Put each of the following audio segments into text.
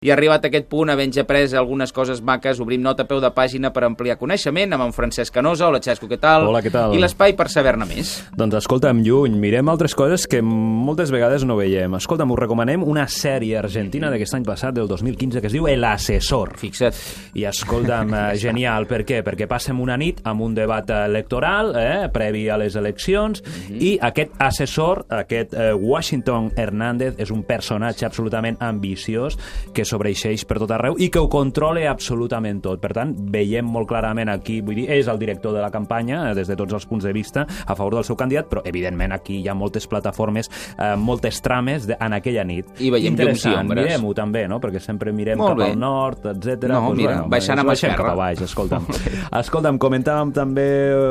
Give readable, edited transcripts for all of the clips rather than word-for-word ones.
I arribat a aquest punt, havent après algunes coses maques, obrim nota a peu de pàgina per ampliar coneixement amb en Francesc Canosa. Hola, Xesco, què tal? Hola, què tal? I l'espai per saber-ne més. Doncs escolta'm, lluny, mirem altres coses que moltes vegades no veiem. Escolta'm, us recomanem una sèrie argentina d'aquest any passat, del 2015, que es diu El Asesor. Fixa't. I escolta'm, genial, per què? Perquè passem una nit amb un debat electoral, previ a les eleccions, i aquest assessor, aquest Washington Hernández, és un personatge absolutament ambiciós que sobreixeix per tot arreu i que ho controla absolutament tot. Per tant, veiem molt clarament aquí, vull dir, és el director de la campanya, des de tots els punts de vista, a favor del seu candidat, però evidentment aquí hi ha moltes plataformes, moltes trames en aquella nit. I veiem llums i ombres. Mirem-ho també, no? Perquè sempre mirem cap al nord, etc. No, doncs, mira, baixant a mà esquerra. Cap a baix, escolta'm. Escolta'm, comentàvem també,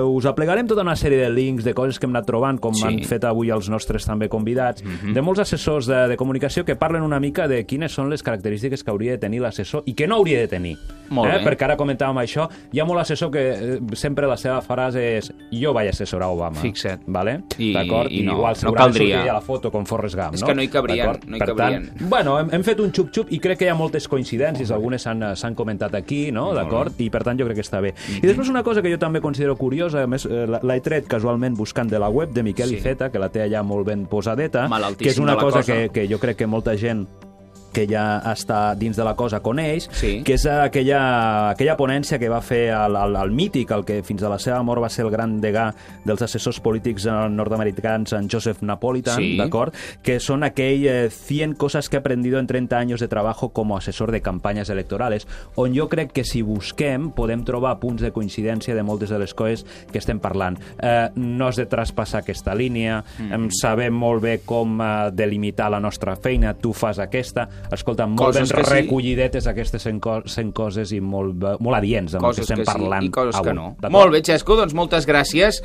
us aplegarem tota una sèrie de links, de coses que hem anat trobant, com han fet avui els nostres també convidats, de molts assessors de comunicació que parlen una mica de quines són les característiques que hauria de tenir l'assessor i que no hauria de tenir. Molt bé. Perquè ara comentàvem això, hi ha molt assessor que sempre la seva frase és jo vaig assessorar Obama. Fixa't. Vale? D'acord? I igual segurament sortiria a la foto com Forrest Gump, és no? que no hi cabrien. No hi cabrien. Per tant, bueno, hem fet un xup-xup i crec que hi ha moltes coincidències, algunes s'han comentat aquí, no? D'acord? I per tant jo crec que està bé. I després una cosa que jo també considero curiosa, a més l'he tret casualment buscant de la web de Miquel Iceta, que la té allà molt ben posadeta, que és una cosa que jo crec que molta gent que ja està dins de la cosa coneix, que és aquella ponència que va fer el mític, el que fins a la seva mort va ser el gran degà dels assessors polítics nord-americans, en Joseph Napolitan, d'acord? Que són aquell 100 cosas que he aprendido en 30 años de trabajo como asesor de campanyes electorales, on jo crec que si busquem podem trobar punts de coincidència de moltes de les coses que estem parlant. No has de traspassar aquesta línia, sabem molt bé com delimitar la nostra feina, tu fas aquesta. Escolta, molt ben recollidetes aquestes 100 coses i molt adients amb el que estem parlant avui. I coses que no. Molt bé, Xesco, doncs moltes gràcies.